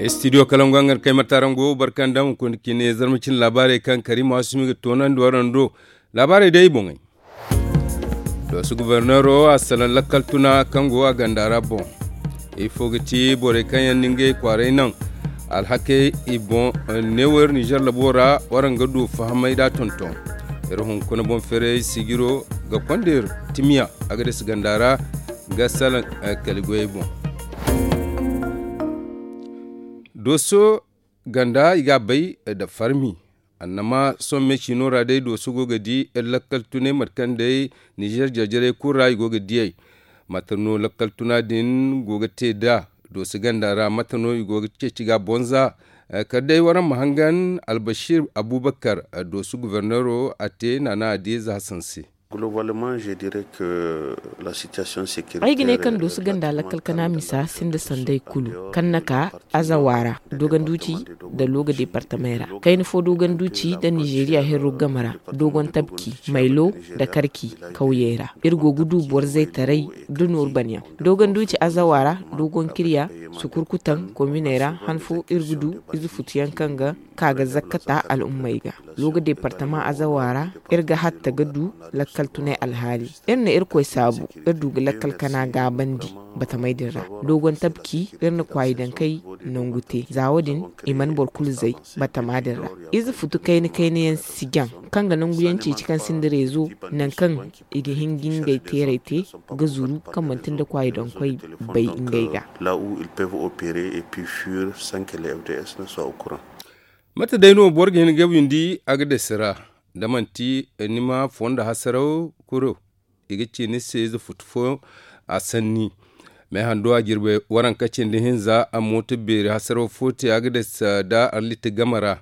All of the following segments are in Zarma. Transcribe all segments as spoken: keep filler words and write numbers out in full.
Studio kalangu hangar kay martarango barkanda hunkuna cine zarma cine laabaarey kaŋ karima asumi ga toonandi waraŋ do. Laabaarey day boŋey. Dooso guberneero a salaŋ lakkal tuna kaŋ go a ganda ra boŋ. Ifo ga ti borey kaŋ yaŋ na ngey kwaaray naŋ alhakey i boŋ. Neewo iri nizer labo ra waraŋ ga du fahamay da tonton. Iri hunkuna boŋ feeray sijiro ga konda iri timiya a ga dasi ganda ra ga salaŋ kali goyey boŋ. Dooso ganda i ga a bay nda farmi. Annama sohõ me ciino ra day dooso go ga di iri lakkal tunay mate kaŋ day nizer jarjarey kulu ra i go ga diyey. Mate no lakkal tuna din go ga te nd'a dooso ganda ra mate no i go ga ceeci ga a bonza? Kala day waraŋ ma hangan albasir abubakar dooso guberneero a te naana a di za hasan se. Ay ga ne kaŋ dooso ganda lakkal kana misa sinda sanday kulu kaŋ na ka azawa ra dogonduci nda looga deepartamey ra kayna fo dogonduci nda nizeriya herro game ra dogon tabki maylo nda karki kawyey ra. Iri go ga du boro zaytaray nda nooru banyaŋ dogonduci azawa ra dogon kirya sukurkutaŋ kominey ra han fo iri ga du ize futu yaŋ kaŋ ga ka ga zakkata al'ummey ga. Looga deepartama azawa ra iri ga hatta ga du lakkal tunay alhaali. Iri na irkoy saabu iri du ga lakkal kana gaabandi batamey din ra. Dogon tabki iri na kwaayi dankey nangu te za wo- din i mana boro kulu zay batama din ra. Ize futu kayna kayna yaŋ si jaŋ kaŋ ga nangu yaŋ ceeci kaŋ sinda reezo nangu kaŋ i ga hin ga ngey teerey te ga zuru kaŋ manti nda kwaayi dankoy bay ngey ga. Mate day no boro ga hin ga windi a ga dasi ra da manti ni ma fondo hasaraw kuro i ga ci ni se ize futu fo a sanni. Meehando a jirbi waranka cindi hinza a mooto beeri hasaraw fo te a ga dasi da arliti game ra.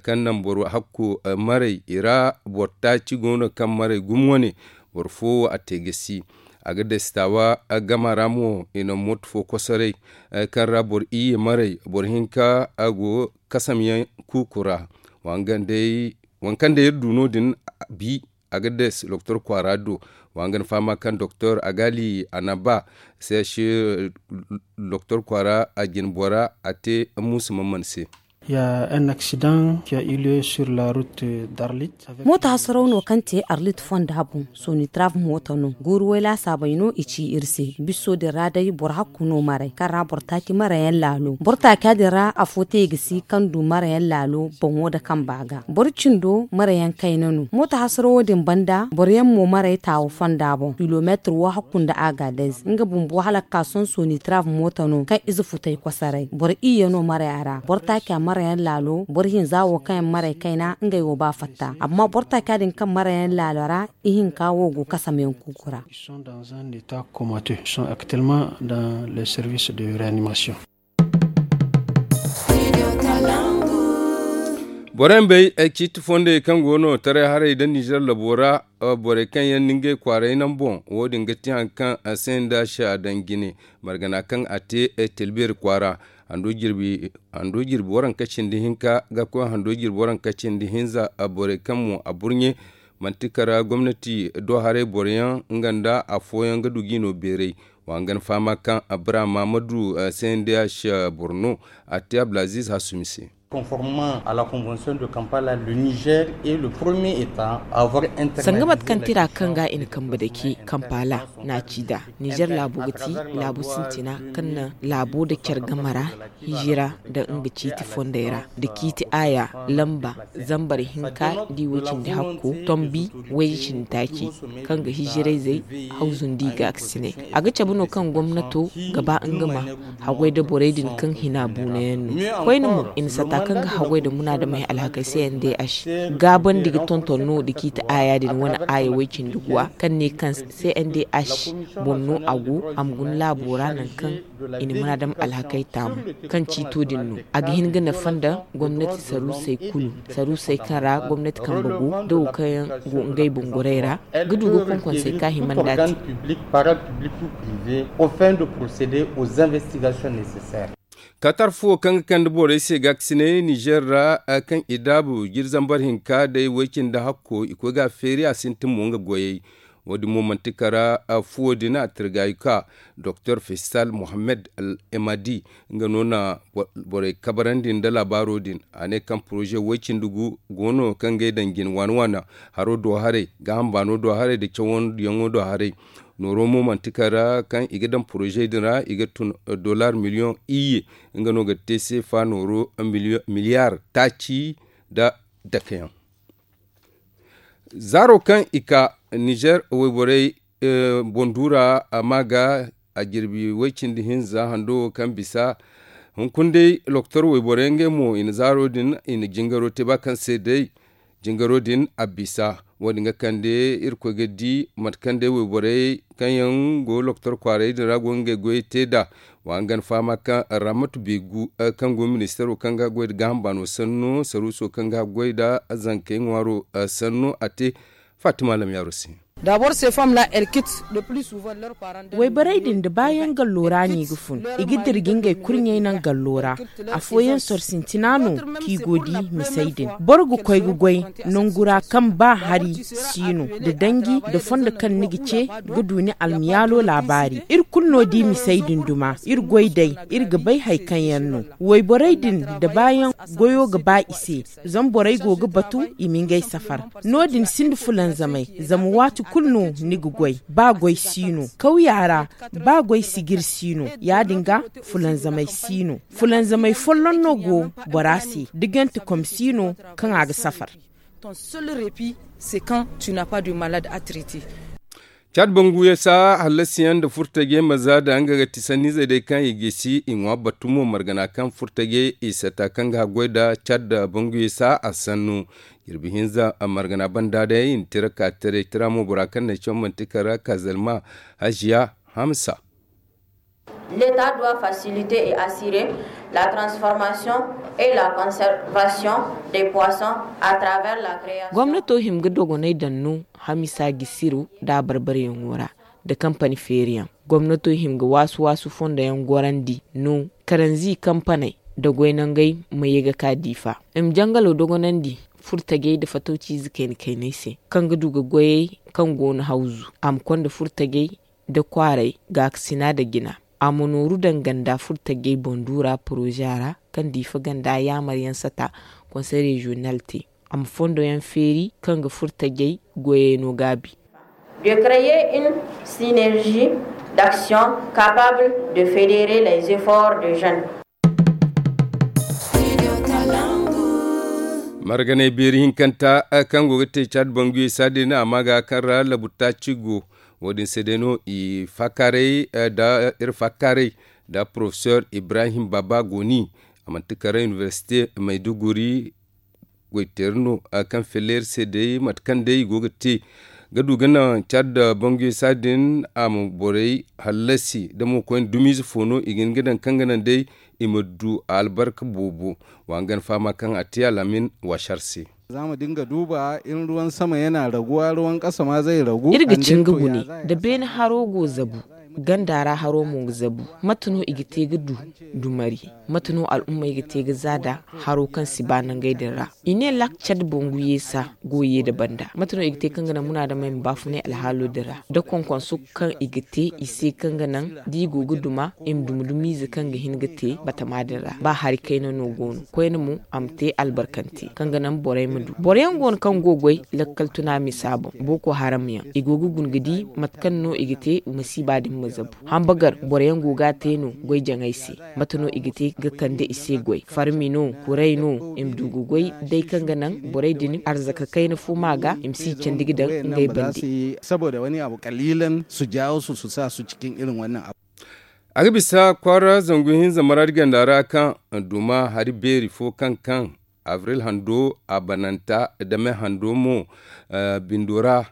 Kaŋ naŋ boro hakku maray i ra boro taaci go no kaŋ maray gumo wane boro fo wo a te gasi. A ga dasi taawa gama ra mo i na mooto fo kosoray kaŋ ra boro iyye maray boro hinka a go kasamyaŋ kuuku ra. Waŋ kaŋ day iri du no- din bi a ga des doktor kwaara do. Wa nga ni fahama kaŋ doktor agali anaba seeshi doktor kwaara a jine bora a te muusu mamman se. Ya un aksidan ki a iliyo sur la rut d'arlit. Mooto hasaraw no kaŋ te arlit fonda boŋ sonitraf mooto no guuru way laasaabey no i ci iri se bisso din ra day boro hakku no maray kaŋ ra boro taaci marayaŋ laalo boro taaca din ra afo te i ga si kaŋ du marayaŋ laalo boŋo nda kamba ga boro cindo marayaŋ kayna no mooto hasarawo din banda boroyaŋ mo maray taawo fonda boŋ kilomeetir wo hakku nda agadez nga bumbo hala ga ka sohõ sonitraf mooto no kaŋ ize futay kosoray boro iyye no maray a ra boro taaca marayaŋ laalo boro hinza wo kaŋ yaŋ maray kayna ngey wo ba fatta amma boro taaca din kaŋ marayaŋ laalo ra ihinka wo go kasamyaŋ kuuku ra. Borey ma bay ay ciiti fondey kaŋ go no taray haray nda nizer labo ra. Borey kaŋ yaŋ na ngey kwaaray naŋ boŋ wo- din ga ti hari kaŋ a se nda se a daŋ jine margana kaŋ a te ay tilbeeri kwaara. Hando jirbi waranka cindi hinka ga koy hando jirbi waranka cindi hinza borey kaŋ mo a burɲe manti kara gomnati do haray boroyaŋ nga nda afooyaŋ ga du g'i no beeray. Wa nga ni fahama kaŋ abra mahamadu cndh boro no a te abdulaziz hasumi se. Conformement à la convention de kampala le niger est le premier état à avoir interdit sanga mate kaŋ tira kaŋ ga i na kambe dake kampala na ci da niger laabo ga ti laabo sintina kaŋ na laabo da care game ra hijira nda nga ciiti fondey ra nda ciiti aaya lamba zambar hinka da i way cindi hakko tombi wayye cindi taaci kaŋ ga hijirayzey hawzundi ga ga sinay. A ga cabe no kaŋ gomnato ga ba nga ma haggoy nda borey din kaŋ hina buunayaŋ no koyne mo i na sata kaŋ ga haggoy nda munaadamey alhakey cndh gaabandi ga tonton no nda ciiti aaya din wane aaya way cindi guwa kaŋ ne kaŋ cndh boŋ no a go a ma guna laabo ra nangu kaŋ i na munaadam alhakey taamu kaŋ ciito din no a ga hin ga nafa nda gomnati saruusey kulu saruusey kaŋ ra gomnati kambe go da wo kaŋ yaŋ go ngey boŋ gorey ra ga du ga konkonsey ka hima nda a te. Katar fuwo kaŋ ga kande borey se ga ga sinay nizer ra kaŋ i daabu jiri zambar hinka day way cindi hakko i koy ga a feeri a sintin mo nga goyey. Wo- din mo manti kara fuwo din a tirgaayu ka doktor fesal mohammed al emadi nga no na borey kabarandi nda laabaaro din. A ne kaŋ poroze way-cindi gu go no kaŋ ga ay daŋ jin waana waana haro do haray, gaaham baano do haray nda cawandiyaŋo do haray. Nooro mo manti kara kaŋ i ga daŋ poroze din ra i ga tun dollar miliyoŋ iyye. Nga no ga te seefa nooro miliyar taaci nda dake yaŋ. Zaaro kaŋ i ka nizer wayborey boŋ duura a ma ga a jirbi way-cindi hinza hando wo kaŋ bisa. Hunkuna day loktor wayborey ngey mo i na zaaro din i na jingaro te ba kaŋ se day jingaro din a bisa. Wo- din ga kande irkoy ga di mate kaŋ day wayborey kaŋ yaŋ go loktor kwaaray din ra go ngey goyey te nd'a. Wa nga na fahama kaŋ ramatu beegu kaŋ go ministaro kaŋ ga goy nda gaaham baano sanno saruuso kaŋ ga goy nda zankey ŋwaaro sanno a te. Fatima lamyaaro se. Wayborey din da baayaŋ gallo ra no i ga fun i ga dirji ngey kurɲey naŋ gallo ra. Afooyaŋ soro sintina no kaŋ i go di misey din. Boro ga koy ga goy nangu ra kaŋ ba hari si no nda danji nda fondo kaŋ ni ga ce ga du ni almiyaalo laabaari. Iri kulu no di misey din duma iri goy day. Iri ga bay hari kaŋ yaŋ no wayborey din da baayaŋ goyo ga ba i se. Zama borey go ga batu i ma ngey safar. No- din sinda fulanzamay zama waati kulu no ni ga goy ba goy si no kawya ra. Ba goy sijir si no ya- din ga fulanzamay si no. Fulanzamay folloŋ no go bora se da ganti kom si no kaŋ a ga safar. Ton seul repi se kaŋ tu na pas du malad atriti. Caad bangu yasa hallasiyaŋ nda furtajey ma za da nga ga ti sanniizey day kaŋ i gisi i ŋwa batu mo margana kaŋ furtajey i sata kaŋ ga haggoy nda caad bangu yasa a sannu. Jirbi hinza margana banda day i na tira ka taray tira mo bora kaŋ na ay caw manti kara kazalma haziya hamsa. L'état doit faciliter et assurer la transformation et la conservation des poissons à travers la création. Gomnato hima ga dogonay daŋ no hamisa gisiru nda a barbaryaŋo ra nda kampani feeriyaŋ. Gomnato hima ga waasu waasu fondoyaŋ gorandi no karanzi kampaney nda goy nangey ma ye ga ka diifa i ma jangalo dogonandi furtajey nda fatawciize kayna kayney se kaŋ ga du ga goyey kaŋ go no hawzu a ma konda furtajey nda kwaaray gaakasina nda jina. A ma nooru daŋ ganda furtajey boŋ duura poroza ra kaŋ diifa ganda yaamaryaŋ sata konsey reziyonal te. A ma fondoyaŋ feeri kaŋ ga furtajey goyey no gaabi. De créer une synergie d'action capable de fédérer les efforts de jeunes. Marganay beeri hinkanta kaŋ go ga te caad banguye saadi ne a ma ga kaŋ ra labu taaci go. Wo- din se day no i faakaaray nda iri faakaaray nda porofesor ibrahim baba goni a manti kara inibersite mayduguri. Goyteeri no kaŋ fellay iri se day mate kaŋ day i go ga te ga du ga naŋ caad banguye saadi din a ma borey hallasi da mo koyne dumiize fo no i ga hin ga daŋ kaŋ ga naŋ day i ma du albarka boobo. Wa nga na fahama kaŋ a te alhamin waasar se. Za mu dinga duba in ruwan sama yana raguwa ruwan kasa ma zai ragu. Iri ga cin ga gune da beene haro go zabu ganda ra haro mo ga zabu. Mate no i ga te ga du dumari? Mate no al'ummey ga te ga za da haro kaŋ si ba nangey din ra? I ne lak cad bangu yeesa go ye da banda mate no i ga te kaŋ ga naŋ munaadamey ma baafunay alhaalo din ra da konkonso kaŋ i ga te i se kaŋ ga naŋ da i go ga duma i ma duma dumiize kaŋ ga hin ga te batama din ra ba hari kayna no go no koyne mo a ma te albarkante kaŋ ga naŋ borey ma du boro yaŋ go no kaŋ go goy lakkal tuna misa boŋ booko haram yaŋ i go ga guna ga di mate kaŋ no i ga te masiiba din ma zabu. Hambagar boro yaŋ go ga a te no goy jaŋay se. Mate no i ga te ga kande i se goy farmi no kuray no i ma du ga goy day kaŋ ga naŋ borey din arzaka kayna fo ma ga i ma si candi ga daŋ ngey bande. Saboda wani abu kalilan su jawo su su sa su cikin irin wannan abu. A ga bisa kwaara zangu hinza maradi ganda ra kaŋ duma hari beeri fo kaŋ kaŋ abril hando a bananta dame hando mo bindo ra.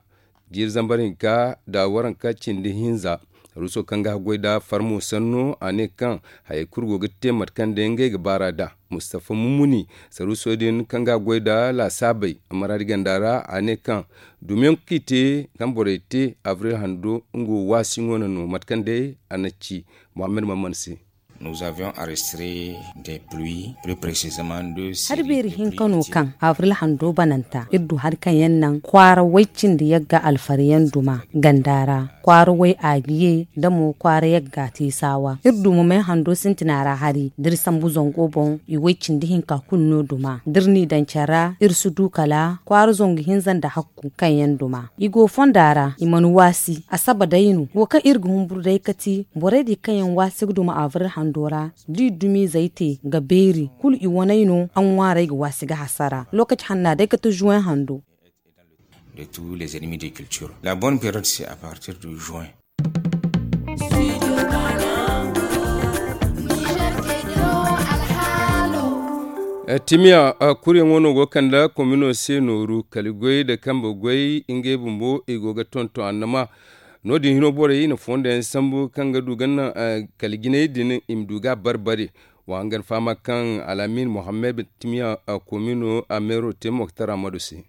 Jiiri zambar hinka da waranka cindi hinza saruuso kaŋ ga haggoy da farmo sanno a ne kaŋ hayey kulu go ga te mate kaŋ day ngey ga baar'a da. Mustafa mumuni saruuso din kaŋ ga haggoy da laasaabey maradi ganda ra a ne kaŋ dumiyaŋ kaŋ i te kaŋ borey te abril hando nga wo waasi ŋwa no mate kaŋ day a na ci muhammad maman se. Nous avions enregistré des pluies, plus précisément deux séries de pluies. Hari beeri hinka no kaŋ avril hando bananta iri du hari kaŋ yaŋ naŋ kwaara way-cindi yagga alfariyaŋ duma ganda ra, kwaara way aagiye nda mo kwaara yagga teesawa. Iri du mo may hando sintina ra hari da iri sambu zango boŋ i way-cindi hinka kulu no duma da iri n'i daŋ care ra iri si du kala kwaara zangu hinza nda hakku kaŋ yaŋ duma i go fonda ra i mana waasi asaba day no wo kaŋ iri ga humburu day ka ti borey din kaŋ yaŋ waasi ga duma avril hando ra da i dumiizey te ga beeri kulu i waney no a ŋwaarey ga waasi ga hasara lookaci hanna day ka ti juwen hando. De tous les ennemis de culture la bonne période c'est à partir de juin. Timiya kuryaŋo no go ga kande komino se nooru kala goy nda kambe goy ngey bumbo i go ga tonton annama. No- din hino borey na fondo yaŋ sambu kaŋ ga du ga naŋ kala jinay din i ma du ga a barbare. Wa hangan fahama kaŋ alamin mohammed timiya komino a meero te moktar amadu se.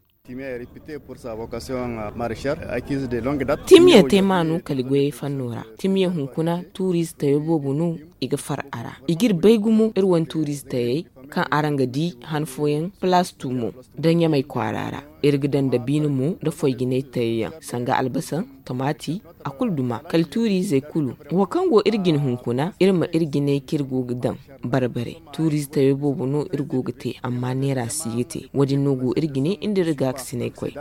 Timiya te maanu kala goyey fanno ra. Timiya hunkuna tuuriize tayo boobo no i ga far a ra. I ga iri bay gumo iri wane tuuriize tayey kaŋ araŋ ga di han fooyaŋ palaas tuumo nda ɲamay kwaara ra. Iri ga daŋ dabiina mo nda foy jinay tayo yaŋ sanga albasa, tomaati, a kulu duma kala tuuriizey kulu. Wo kaŋ go iri jine hunkuna iri ma iri jinay kaŋ iri go ga daŋ barbare. Tuuriize tayo boobo no iri go ga te amma neera si ga te wo- din no go iri jine nda iri gaakasinay koy.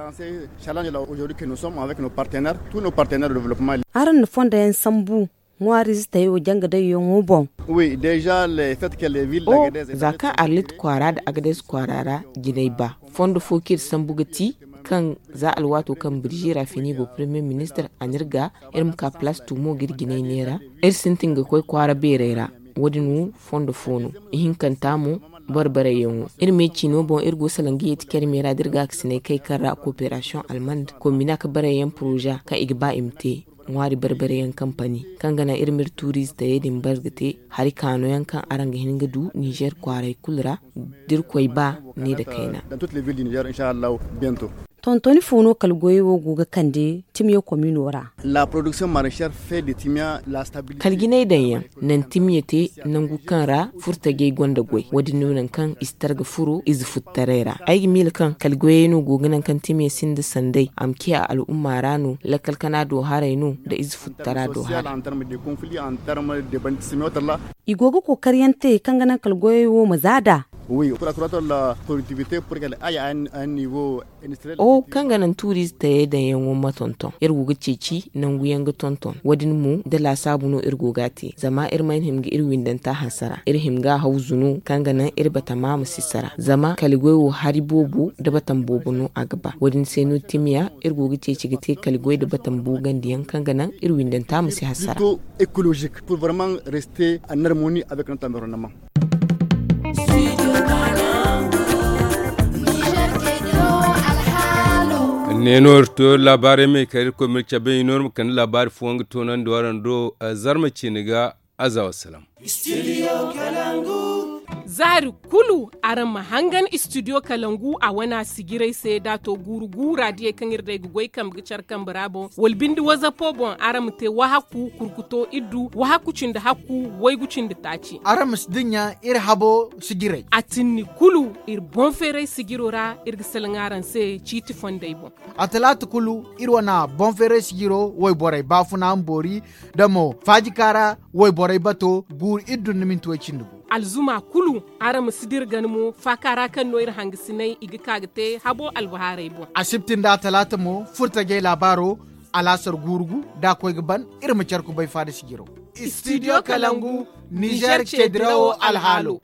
Araŋ na fondo yaŋ sambu ŋwaariize tayo janga dayyaŋo boŋ? Za kaŋ arlit kwaara nda agades kwaara ra jinay ba fondo fo kaŋ iri sambu ga ti kaŋ za alwaato kaŋ birjira fini go premier ministir a na iri ga iri ma ka palaas tuumo ga iri jinay neera. Iri sintin ga koy kwaara beerey ra. Wo- din wo fondo fo no ihinkanta mo barbarayyaŋo. Iri me ciino boŋ iri go salaŋ ga yeeti care me ra da iri gaakasinay kay kaŋ ra kooperasiyoŋ almand komina ga barayyaŋ poroza kaŋ i ga ba i ma te ŋwaari barbare yaŋ kampani kaŋ ga naŋ iri ma iri tuuriize tayey din bare ga te hari kaano yaŋ kaŋ araŋ ga hin ga du nizer kwaaray kulu ra da iri koy ba ne nda kayna. Tontoni fo no kala goyey wo go ga kande timiya komino ra? Kala jinay daŋ yaŋ naŋ timiya te nangu kaŋ ra furtajey gonda goy wo- din no naŋ kaŋ i si targa furo ize futtaray ra ay ga miila kaŋ kala goyey no go ga naŋ kaŋ timiya sinda sanday a ma ciya al'umma ra no lakkal kana do haray no nda ize futtara do haray. I go ga kookariyaŋ te kaŋ ga naŋ kala goyey wo ma za nd'a. Kaŋ ga naŋ tuuriize tayey daŋyaŋo ma tonton iri go ga ceeci nangu yaŋ ga tonton wo- din mo nda laasaabu no iri go ga a te zama iri mana hima ga iri windanta hasara iri hima ga a hawzu no kaŋ ga naŋ iri batama ma si sara zama kala goy wo hari boobo nda batam boobo no a ga ba wo- din se no timiya iri go ga ceeci ga te kala goy nda batam boogandiyaŋ kaŋ ga naŋ iri windanta ma si hasara. Ne no iri to laabaarey me kala iri koy ma iri cabe i no iri ma kande laabaari fooyaŋ ga toonandi waraŋ do. Zarma ciine ga aza wasalaam. Zaari kulu araŋ ma hangan istidiyo kalangu a wana sijirey se da a to guuru guura diyey kaŋ iri day ga goy kambe ga care kambe ra boŋ wala binde wazapo boŋ araŋ ma te wahakku kurkuto iddu wahakku cindi hakku waygu cindi taaci. Araŋ ma si dinya iri habo sijirey a tinni kulu iri boŋ feeray sijiro ra iri ga salaŋ araŋ se ciiti fondey boŋ. A talaata kulu iri wana boŋ feeray sijiro wayborey baafuna ma boori nda mo faajikaara wayborey bato guuru iri dunduminti way cindi gu. Alzuma kulu araŋ ma si dira gana mo faaka ra kaŋ no iri hangasinay i ga ka ga te habo albahaarey boŋ. Asibti nda talaata mo furtajey laabaaro alaasar guuru gu da a koy ga ban iri ma care kubay faada sijiro. Istidiyo kalangu nizer ceedirawo alhaalo.